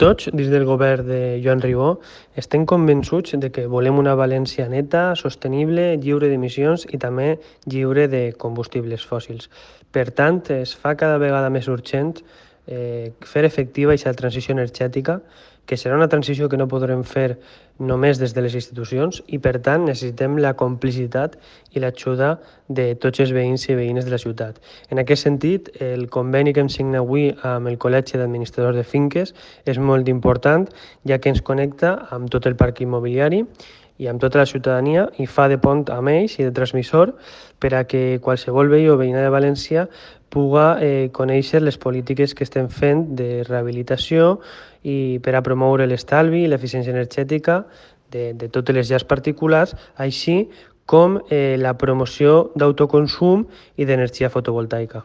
Tots, dins del govern de Joan Ribó, estem convençuts de que volem una València neta, sostenible, lliure d'emissions i també lliure de combustibles fòssils. Per tant, es fa cada vegada més urgent fer efectiva aquesta transició energètica, que serà una transició que no podrem fer només des de les institucions i, per tant, necessitem la complicitat i l'ajuda de tots els veïns i veïnes de la ciutat. En aquest sentit, el conveni que hem signat avui amb el Col·legi d'Administradors de Finques és molt important, ja que ens connecta amb tot el parc immobiliari i amb tota la ciutadania i fa de pont amb ells i de transmissor per a que qualsevol veí o veïna de València puga conèixer les polítiques que estem fent de rehabilitació i per a promoure l'estalvi i l'eficiència energètica de totes les llars particulars, així com la promoció d'autoconsum i d'energia fotovoltaica.